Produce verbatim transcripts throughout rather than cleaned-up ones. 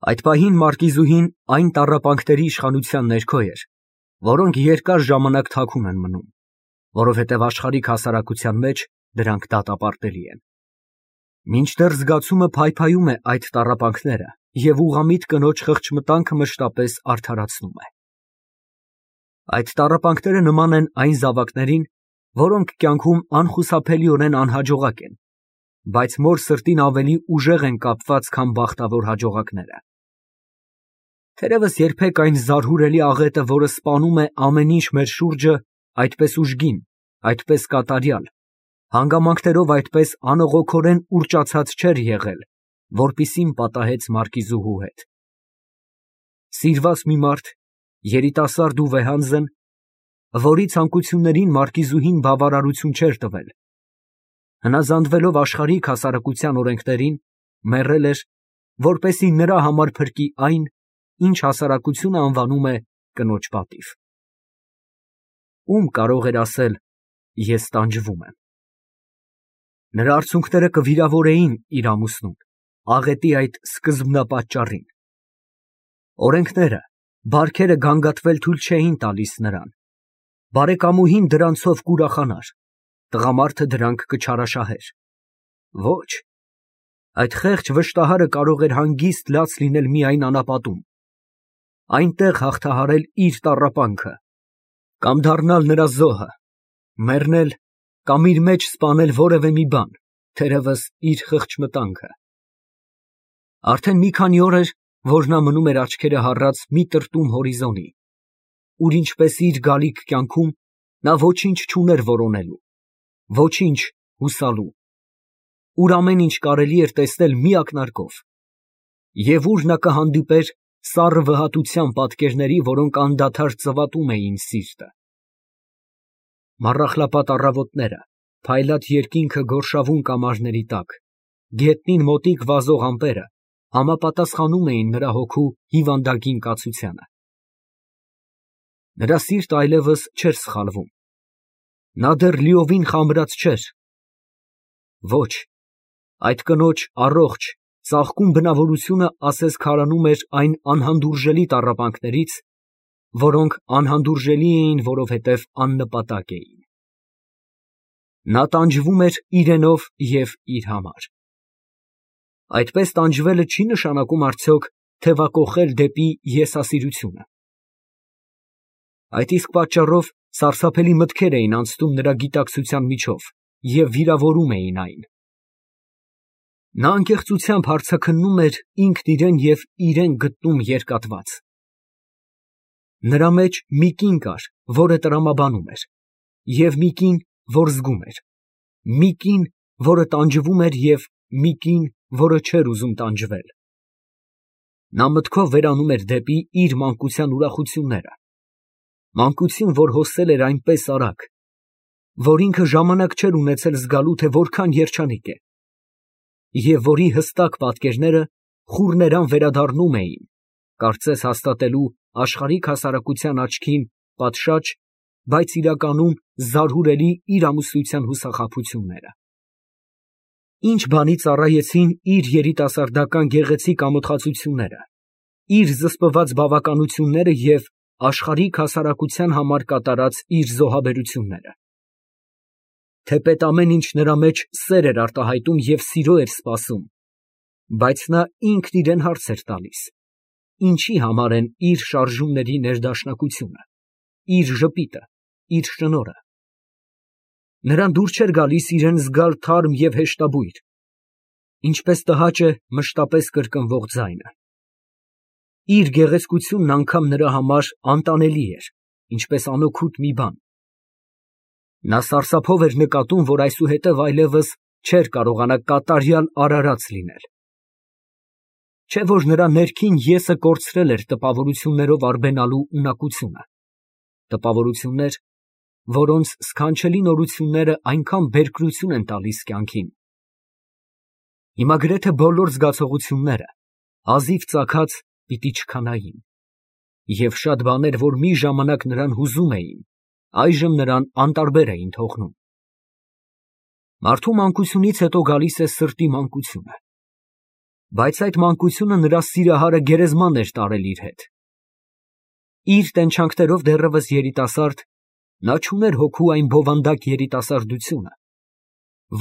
Այդ պահին մարկիզուհին այն տառապանքների իշխանության ներքո էր, որոնք երկար ժամանակ թաքուն են մնում, որովհետև աշխարհիկ հասարակության մեջ դրանք դատապարտելի են։ Մինչդեռ զգացումը փայփայում է այդ տառապանքները և ուղղամիտ կնոջ խղճմտանքը մշտապես արդարացնում է։ Այդ տառապանքները նման են այն զավակներին, որոնք կյանքում անխուսափելիորեն անհաջողակ են, բայց մոր սրտին ավելի ուժեղ են կապված, քան բախտավոր հաջողակները։ Թերևս երբեք այն զարհուրելի աղետը, որը սպանում է ամեն ինչ մեր շուրջը, այդպես ուժգին, այդպես կատարյալ, հանգամանքներով այդպես անողոքորեն ուռճացած չէր եղել, որպիսին պատահեց մարկիզուհու հետ։ Սիրված մի մարդ, երիտասարդ ու վեհանձն, որի ցանկություններին մարկիզուհին բավարարություն չէր տվել, հնազանդվելով աշխարհիկ հասարակության օրենքներին, մեռել էր, որպեսզի նրա համար փրկի այն, ինչ հասարակությունը անվանում է կնոջ պատիվ։ Ում կարող էր ասել. ես տանջվում եմ։ Նրա արցունքները կվիրավորեին իր ամուսնուն, աղետի այդ սկզբնապատճառին։ Օրենքները, բարքերը գանգատվել թույլ չէին տալիս նրան։ Բարեկամուհին դրանցով կուրախանար, տղամարդը դրանք կչարաշահեր։ Ոչ, այդ խեղճ վշտահարը կարող էր հանգիստ լաց լինել միայն անապատում, այնտեղ հաղթահարել իր տառապանքը, կամ դառնալ նրա զոհը, մեռնել կամ իր մեջ սպանել որևէ մի բան, թերևս իր խղճմտանքը։ Արդեն մի քանի օր էր, որ նա մնում էր աչքերը հառած մի տրտում հորիզոնի, ուր ինչպես իր գալիք կյանքում նա ոչինչ չուներ որոնելու, ոչինչ հուսալու, ուր ամեն ինչ կարելի էր տեսնել մի ակնարկով, և ուր նա կհանդիպեր սառը վհատության պատկերների, որոնք անդադար ծվատում էին սիրտը։ Մառախլապատ առավոտները, փայլատ երկինքը գորշավուն կամարների տակ, գետնին մոտիկ վազող ամպերը համապատասխանում էին նրա հոգու հիվանդագին կացությանը։ Նրա սիրտը այլևս չէր սխալվում, նա դեռ լիովին խամրած չէր։ Ոչ, այդ կնոջ առողջ, ծաղկուն բնավորությունը ասես քարանում էր այն անհանդուրժելի տառապանքներից, որոնք անհանդուրժելի էին, որովհետև աննպատակ էին։ Նա տանջվում էր իրենով և իր համար։ Այդպես տանջվելը չի նշանակում արդյոք թևակոխել դեպի եսասիրությունը։ Այդ իսկ պատճառով սարսափելի մտքեր էին անցնում նրա գիտակցության միջով և վիրավորում էին այն։ Նա անկեղծությամբ հարցաքննում էր ինքն իրեն և իրեն գտնում երկատված։ Նրա մեջ մի կին կար, որը տրամաբանում էր, և մի կին, որ զգում էր, մի կին, որը տանջվում էր, և մի կին, որը չէր ուզում տանջվել։ Նա մտքով վերանում էր դեպի իր մանկության ուրախությունները, մանկություն, որ հոսել էր այնպես արագ, որ ինքը ժամանակ չէր ունեցել զգալու, թե որքան երջանիկ է, և որի հստակ պատկերները խուռներան վերադառնում էին, կարծես հաստատելու աշխարհիկ հասարակության աչքին պատշաճ, բայց իրականում զարհուրելի իր ամուսնության հուսախաբությունները։ Ինչ բանի ծառայեցին իր երիտասարդական գեղեցիկ ամոթխածությունները, իր զսպված բավականությունները և աշխարհիկ հասարակության համար կատարած իր զոհաբերությունները։ Թեպետ ամեն ինչ նրա մեջ սեր էր արտահայտում և սիրո էր սպասում, բայց նա ինքն իրան հարց էր տալիս. ինչի համար են իր շարժումների ներդաշնակությունը, իր ժպիտը, իր շնորհը։ Նրան դուր չէր գալիս իրան զգալ թարմ և հեշտաբույր, ինչպես տհաճ է մշտապես կրկնվող ձայնը։ Իր գեղեցկությունն անգամ նրա համար անտանելի էր, ինչպես անօգուտ մի բան։ Նա սարսափով էր նկատում, որ այսուհետև այլևս չէր կարողանա կատարյալ արարած լինել։ Չէ՞ որ նրա ներքին եսը կորցրել էր տպավորություններով արբենալու ունակությունը, տպավորություններ, որոնց սքանչելի նորությունները այնքան բերկրություն են տալիս կյանքին։ Հիմա գրեթե բոլոր զգացողությունները, հազիվ ծագած, պիտի չքանային, և շատ բաներ, որ մի ժամանակ նրան հուզում էին, այժմ նրան անտարբեր էին թողնում։ Մարդու մանկությունից հետո գալիս է սրտի մանկությունը։ Բայց այդ մանկությունը նրա սիրահարը գերեզման էր տարել իր հետ։ Իր տենչանքներով դեռևս երիտասարդ, նա չուներ հոգու այն բովանդակ երիտասարդությունը,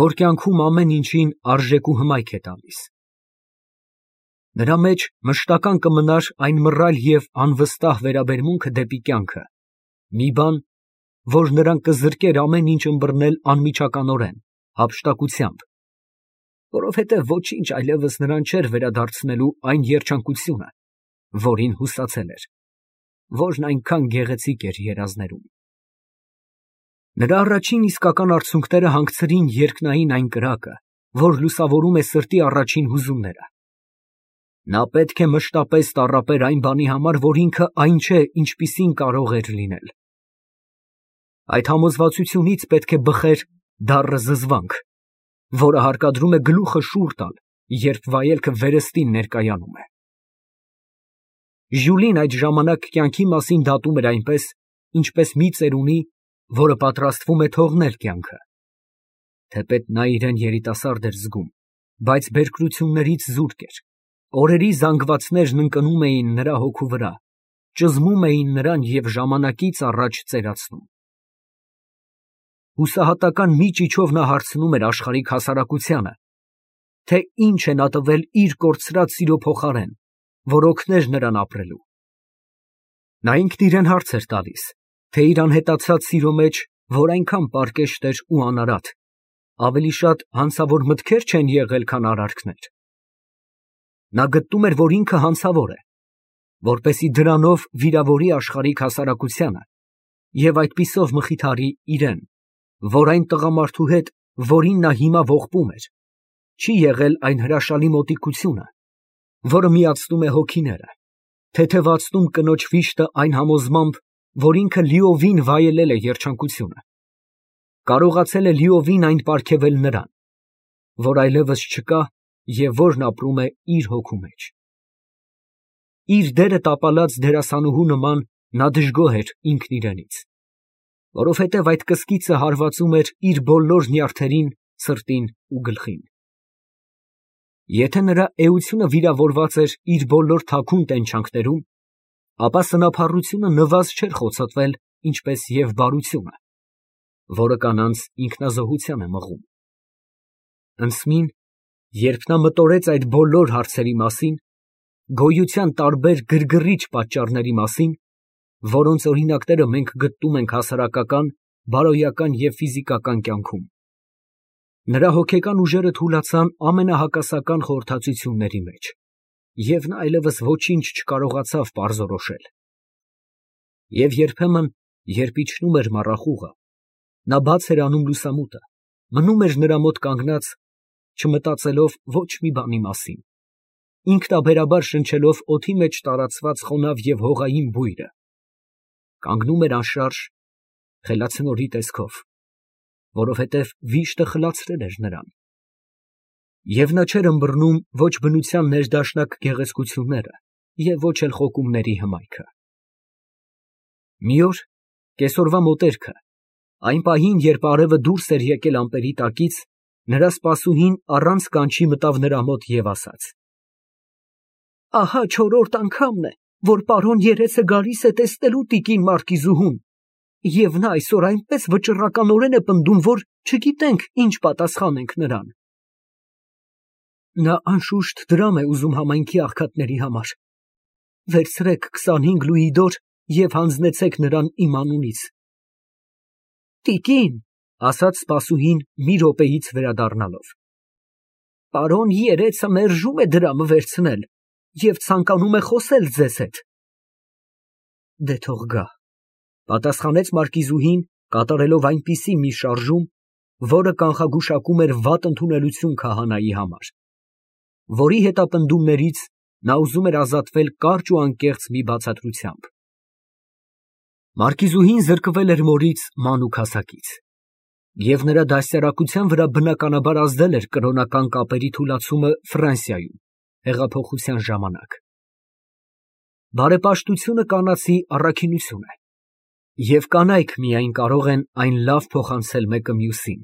որ կյանքում ամեն ինչին արժեք ու հմայք է տալիս։ Նրա մեջ մշտական կմնար այն մռայլ և անվստահ վերաբերմունքը դեպի կյանքը, մի բան, որ նրան կզրկեր ամեն ինչ ըմբռնել անմիջականորեն, հափշտակությամբ, որովհետև ոչինչ այլևս նրան չէր վերադարձնելու այն երջանկությունը, որին հուսացել էր, որն այնքան գեղեցիկ էր երազներում։ Նրա առաջին իսկական արցունքները հանգցրին երկնային այն կրակը, որ լուսավորում է սրտի առաջին հուզումները։ Նա պետք է մշտապես տառապեր այն բանի համար, որ ինքը այն չէ, ինչպիսին կարող էր լինել։ Այդ համոզվածությունից պետք է բխեր դառը զզվանք, որը հարկադրում է գլուխը շուռ տալ, երբ վայելքը վերստին ներկայանում է։ Ժյուլին այդ ժամանակ կյանքի մասին դատում էր այնպես, ինչպես մի ծերունի, որը պատրաստվում է թողնել կյանքը։ Թեպետ նա իրեն երիտասարդ էր զգում, բայց բերկրություններից զուրկ էր։ Օրերի զանգվածներն ընկնում էին նրա հոգու վրա, ճզմում էին նրան և ժամանակից առաջ ծերացնում։ Հուսահատական մի ճիչով նա հարցնում էր աշխարհիկ հասարակությանը, թե ինչ է նա տվել իր կորցրած սիրո փոխարեն, որ օգներ նրան ապրելու։ Նա ինքն իրան հարց էր տալիս, թե իր անհետացած սիրո մեջ, որ այնքան պարկեշտ էր ու անարատ, ավելի շատ հանցավոր մտքեր չեն եղել, քան արարքներ։ Նա գտնում էր, որ ինքը հանցավոր է, որպեսզի դրանով վիրավորի աշխարհիկ հասարակությանը և այդպիսով մխիթարի իրեն, որ այն տղամարդու հետ, որին նա հիմա ողբում էր, չի եղել այն հրաշալի մոտիկությունը, որը միացնում է հոգիները, թեթևացնում կնոջ վիշտը այն համոզմամբ, որ ինքը լիովին վայելել է երջանկությունը, կարողացել է լիովին այն պարգևել նրան, որ այլևս չկա և որն ապրում է իր հոգու մեջ։ Իր դերը տապալած դերասանուհու նման նա դժգոհ էր ինքն իրենից, որովհետև այդ կսկիծը հարվածում էր իր բոլոր նյարդերին, սրտին ու գլխին։ Եթե նրա էությունը վիրավորված էր իր բոլոր թաքուն տենչանքներում, ապա սնափառությունը նվազ չէր խոցոտվել, ինչպես և բարությունը, որը կանանց ինքնազոհության է մղում։ Ընծմին, երբ նա մտորեց այդ բոլոր հարցերի մասին, գոյության տարբեր գրգռիչ պատճառների մասին, որոնց օրինակները մենք գտնում ենք հասարակական, բարոյական և ֆիզիկական կյանքում, նրա հոգեկան ուժերը թուլացան ամենահակասական խորհրդածությունների մեջ, և նա այլևս ոչինչ չկարողացավ պարզորոշել։ Եվ երբեմն, երբ իջնում էր մառախուղը, նա բաց էր անում լուսամուտը, մնում էր նրա մոտ կանգնած, չմտածելով ոչ մի բանի մասին, ինքնաբերաբար շնչելով օդի մեջ տարածված խոնավ և հողային բույրը, կանգնում էր անշարժ, խելացնորի տեսքով, որովհետև վիշտը խլացրել էր նրան, և նա չէր ըմբռնում ոչ բնության ներդաշնակ գեղեցկությունները և ոչ էլ խոկումների հմայքը։ Մի օր, կեսօրվա մոտերքը, այն պահին, երբ արևը դուրս էր եկել ամպերի տակից, նրա սպասուհին առանց կանչի մտավ նրա մոտ և ասաց. «Ահա չորրորդ անգամն է, որ պարոն երեցը գալիս է տեսնելու տիկին մարկիզուհուն, և նա այսօր այնպես վճռականորեն է պնդում, որ չգիտենք ինչ պատասխանենք նրան։ Նա անշուշտ դրամ է ուզում համայնքի աղքատների համար. վերցրեք քսանհինգ լուի դոր և հանձնեցեք նրան իմ անունից»։ Տիկին, ֊ ասաց սպասուհին մի րոպեից վերադառնալով, ֊ պարոն երեցը մերժում է դրամը վերցնել և ցանկանում է խոսել ձեզ հետ։ Դե թող գա, ֊ պատասխանեց մարկիզուհին, կատարելով այնպիսի մի շարժում, որը կանխագուշակում էր վատ ընդունելություն քահանայի համար, որի հետապնդումներից նա ուզում էր ազատվել կարճ ու անկեղծ մի բացատրությամբ։ Մարկիզուհին զրկվել էր մորից մանուկ հասակից, և նրա դաստիարակության վրա բնականաբար ազդել էր կրոնական կապերի թուլացումը Ֆրանսիայում հեղափոխության ժամանակ։ Բարեպաշտությունը կանացի առաքինություն է, և կանայք միայն կարող են այն լավ փոխանցել մեկը մյուսին,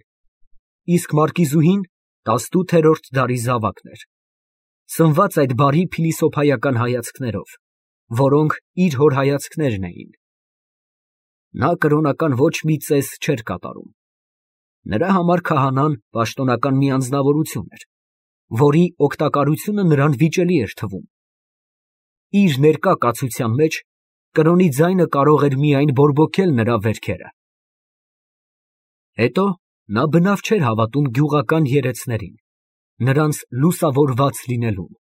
իսկ մարկիզուհին տասնութերորդ դարի զավակն էր, Սնված այդ բարի փիլիսոփայական հայացքներով, որոնք իր հոր հայացքներն էին։ Նա կրոնական ոչ մի ծես չէր կատարում։ Նրա համար քահանան պաշտոնական մի անձնավորություն էր, որի օգտակարությունը նրան վիճելի էր թվում։ Իր ներկա կացության մեջ կրոնի ձայնը կարող էր միայն բորբոքել նրա վերքերը։ Հետո նա բնավ չէր հավատում գյուղական երեցներին, նրանց լուսավորված լինելուն։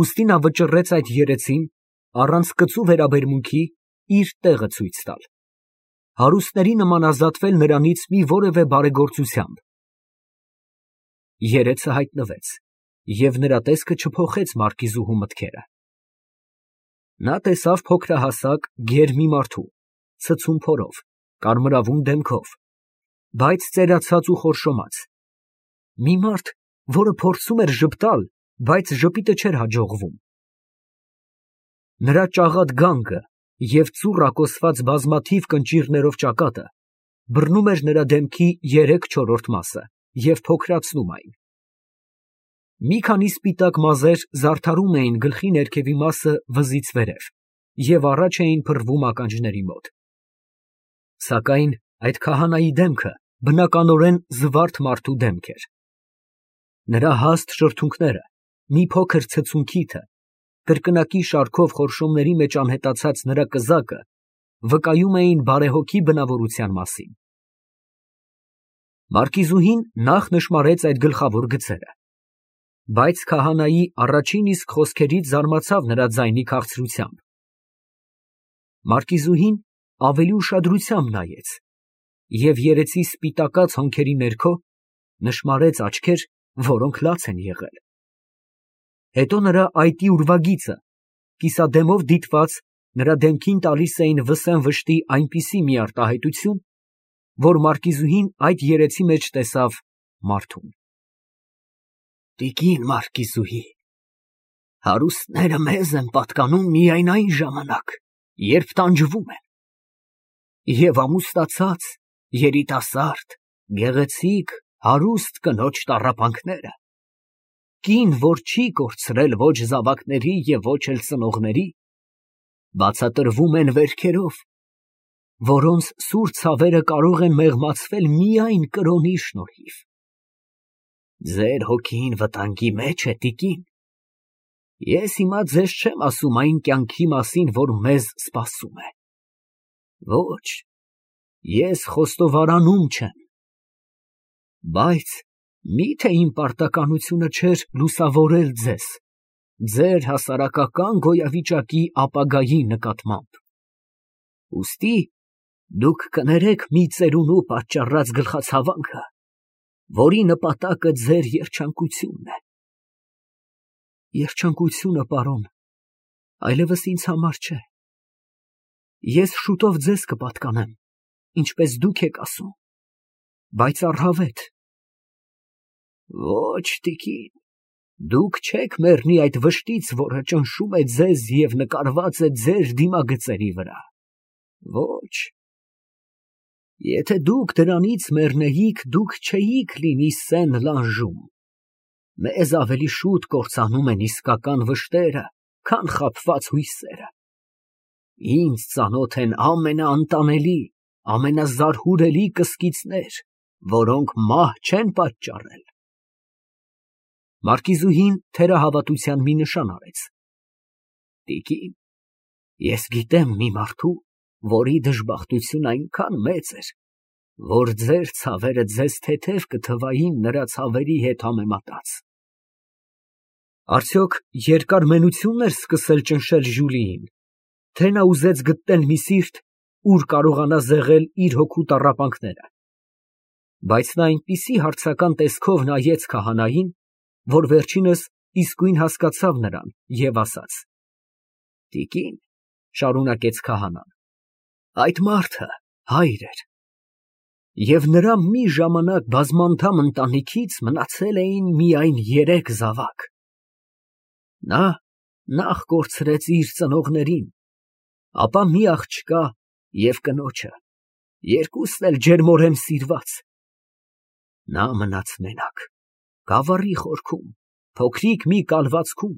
Ուստի նա վճռեց այդ երեցին, առանց կծու վերաբերմունքի, իր տեղը ցույց տալ, հարուստների նման ազատվել նրանից մի որևէ բարեգործությամբ։ Երեցը հայտնվեց, և նրա տեսքը չփոխեց մարկիզուհու մտքերը։ Նա տեսավ փոքրահասակ, գեր մի մարդու, ցցում փորով, կարմրավուն դեմքով, բայց ծերացած ու խորշոմած, մի մարդ, որը փորձում էր ժպտալ, բայց ժպիտը չէր հաջողվում։ Նրա ճաղատ գանգը և ծուռ ակոսված բազմաթիվ կնճիռներով ճակատը բռնում էր նրա դեմքի երեք չորրորդ մասը և փոքրացնում այն։ Մի քանի սպիտակ մազեր զարդարում էին գլխի ներքևի մասը վզից վերև և առաջ էին փռվում ականջների մոտ։ Սակայն այդ քահանայի դեմքը բնականորեն զվարթ մարդու դեմք էր։ Նրա հաստ շրթունքները, մի փոքր ցցուն քիթը, կրկնակի շարքով խորշոմների մեջ անհետացած նրա կզակը վկայում էին բարեհոգի բնավորության մասին։ Մարկիզուհին նախ նշմարեց այդ գլխավոր գծերը, բայց քահանայի առաջին իսկ խոսքերից զարմացավ նրա ձայնի քաղցրությամբ։ Մարկիզուհին ավելի ուշադրությամբ նայեց և երեցի սպիտակած հոնքերի ներքո նշմարեց աչքեր, որոնք լաց են եղել։ Հետո նրա այտի ուրվագիծը, կիսադեմով դիտված, նրա դեմքին տալիս էին վսեմ վշտի այնպիսի մի արտահայտություն, որ մարկիզուհին այդ երեցի մեջ տեսավ մարդուն։ Տիկին մարկիզուհի, հարուստները մեզ են պատկանում միայն այն ժամանակ, երբ տանջվում են, և ամուսնացած, երիտասարդ, գեղեցիկ, հարուստ կնոջ տառապանքները, կին, որ չի կորցրել ոչ զավակների և ոչ էլ ծնողների, բացատրվում են վերքերով, որոնց սուր ցավերը կարող են մեղմացվել միայն կրոնի շնորհիվ։ Ձեր հոգին վտանգի մեջ է, տիկին։ Ես հիմա ձեզ չեմ ասում այն կյանքի մասին, որ մեզ սպասում է։ Ոչ, ես խոստովարանում չեմ։ Բայց մի՞թե իմ պարտականությունը չէր լուսավորել ձեզ, ձեր հասարակական գոյավիճակի ապագայի նկատմամբ։ Ուստի դուք կներեք մի ծերունու պատճառած գլխացավանքը, որի նպատակը ձեր երջանկությունն է։ Երջանկությունը, պարոն, այլևս ինձ համար չէ։ Ես շուտով ձեզ կպատկանեմ, ինչպես դուք եք ասում, բայց առհավետ։ Ոչ, տիկին, դուք չեք մեռնի այդ վշտից, որը ճնշում է ձեզ և նկարված է ձեր դիմագծերի վրա։ Ոչ, եթե դուք դրանից մեռնեիք, դուք չէիք լինի Սեն֊Լանժում։ Մեզ ավելի շուտ կործանում են իսկական վշտերը, քան խաբված հույսերը։ Ինձ ծանոթ են ամենաանտանելի, ամենազարհուրելի կսկիծներ, որոնք մահ չեն պատճառել։ Մարկիզուհին թերահավատության մի նշան արեց։ Տիկին, ես գիտեմ մի մարդու, որի դժբախտությունն այնքան մեծ էր, որ ձեր ցավերը ձեզ թեթև կթվային նրա ցավերի հետ համեմատած։ Արդյոք երկար մենությո՞ւնն էր սկսել ճնշել Ժյուլիին, թե նա ուզեց գտնել մի սիրտ, ուր կարողանա զեղել իր հոգու տառապանքները։ Բայց նա այնպիսի հարցական տեսքով նայեց քահանային, որ վերջինս իսկույն հասկացավ նրան և ասաց. Տիկին, շարունակեց քահանան, այդ մարդը հայր էր, և նրա մի ժամանակ բազմանդամ ընտանիքից մնացել էին միայն երեք զավակ։ Նա նախ կորցրեց իր ծնողներին, ապա մի աղջկա և կնոջը, երկուսն էլ ջերմորեն սիրված։ Նա մնաց մենակ, գավառի խորքում, փոքրիկ մի կալվածքում,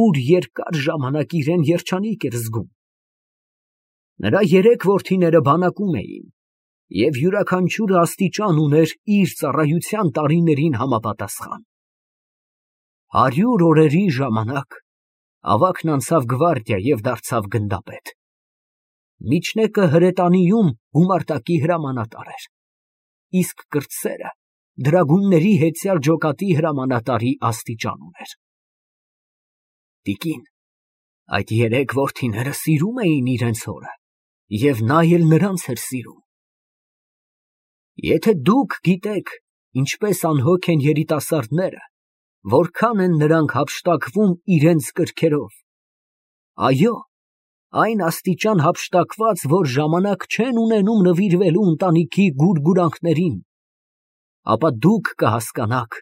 ուր երկար ժամանակ իրան երջանիկ էր զգում։ Նրա երեք որդիները բանակում էին, և յուրաքանչյուրը աստիճան ուներ իր ծառայության տարիներին համապատասխան։ Հարյուր օրերի ժամանակ ավագն անցավ գվարդիա և դարձավ գնդապետ։ Միջնեկը հրետանիում գումարտակի հրամանատար էր, իսկ կրտսերը դրագունների հետյալ ջոկատի հրամանատարի աստիճան ուներ։ Տիկին, այդ երեք որդիները սիրում էին իրենց հորը, և նա էլ նրանց էր սիրում։ Եթե դուք գիտեք, ինչպես անհոգ են երիտասարդները, որքան են նրանք հափշտակվում իրենց կրքերով, այո, այն աստիճան հափշտակված, որ ժամանակ չեն ունենում նվիրվելու ընտանիքի գուրգուրանքներին, ապա դուք կհասկանաք,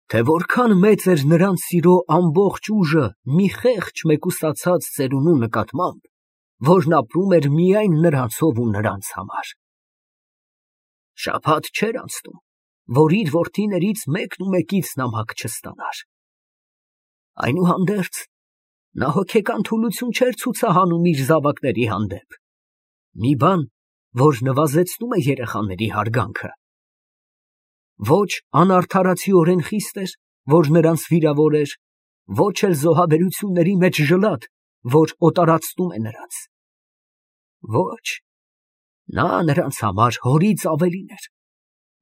թե որքան մեծ էր նրանց սիրո ամբողջ ուժը մի խեղճ մեկուսացած ծերունու նկատմամբ, որն ապրում էր միայն նրանցով ու նրանց համար։ Շաբաթ չէր անցնում, որ իր որդիներից մեկն ու մեկից նամակ չստանար։ Այնուհանդերձ, նա հոգեկան թուլություն չէր ցուցահանում իր զավակների հանդեպ, մի բան, որ նվազեցնում է երեխաների հարգանքը։ Ոչ անարդարացիորեն խիստ էր, որ նրանց վիրավոր էր, ոչ էլ զոհաբերությունների մեջ ժլատ, որ օտարացնում է նրանց։ Ոչ, նա նրանց համար հորից ավելին էր,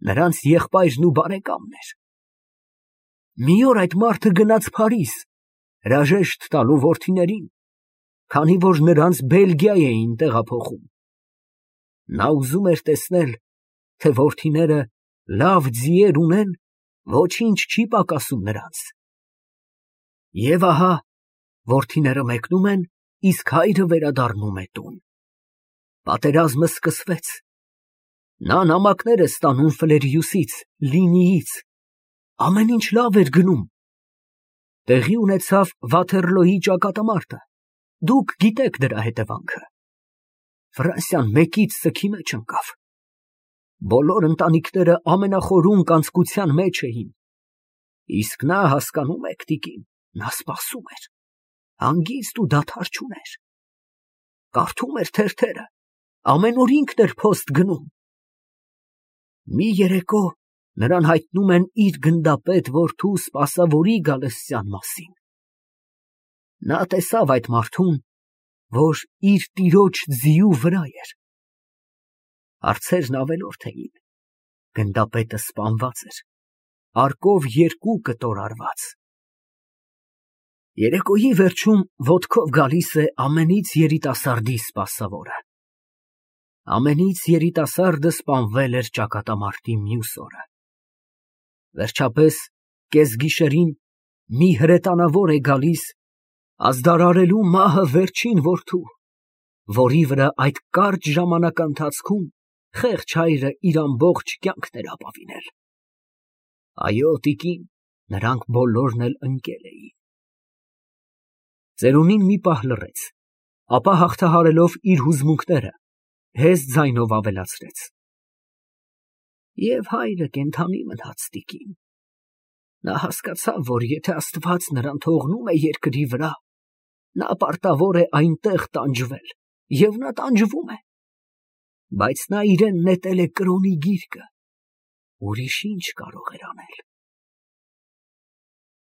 նրանց եղբայրն ու բարեկամն էր։ Մի օր այդ մարդը գնաց Փարիզ, հրաժեշտ տալու որդիներին, քանի որ նրանց Բելգիա էին տեղափոխում։ Նա ուզում էր տեսնել, թե որդիները լավ ձիեր ունեն, ոչինչ չի պակասում նրանց։ Եվ ահա, որդիները մեկնում են, իսկ հայրը վերադառնում է տուն։ Պատերազմը սկսվեց։ Նա նամակներ է ստանում Ֆլերիուսից, Լինիից, ամեն ինչ լավ էր գնում։ Տեղի ունեցավ Վաթերլոյի ճակատամարտը, դուք գիտեք դրա հետևանքը։ Ֆրանսիան մեկից սգի մեջ ընկավ։ Բոլոր ընտանիքները ամենախորուն կանցկության մեջ էին, իսկ նա, հասկանում եք, տիկին, նա սպասում էր, հանգիստ ու դադար չուներ։ Կարդում էր թերթերը, ամեն օր ինքն էր փոստ գնում։ Մի երեկո նրան հայտնում են իր գնդապետ որդու սպասավորի Գալստյան մասին։ Նա տեսավ այդ մարդուն, որ իր տիրոջ ձիու վրա էր։ Հարցերն ավելորդ էին, գնդապետը սպանված էր, արկով երկու կտոր արված։ Երեկոյի վերջում ոտքով գալիս է ամենից երիտասարդի սպասավորը։ Ամենից երիտասարդը սպանվել էր ճակատամարտի մյուս օրը։ Վերջապես, կեսգիշերին մի հրետանավոր է գալիս ազդարարելու մահը վերջին որդու, որի վրա այդ կարճ ժամանականթացքում խեղճ հայրը իր ամբողջ կյանքն էր ապավինել։ Այո, տիկին, նրանք բոլորն էլ ընկել էին։ Ծերունին մի պահ լռեց, ապա հաղթահարելով իր հուզմունքները, հեզտ ձայնով ավելացրեց. Եվ հայրը կենդանի մնաց, տիկին։ Նա հասկացավ, որ եթե Աստված նրան թողնում է երկրի վրա, նա պարտավոր է այնտեղ տանջվել, և նա տանջվում է։ Բայց նա իրեն նետել է կրոնի գիրկը, ուրիշ ինչ կարող էր անել։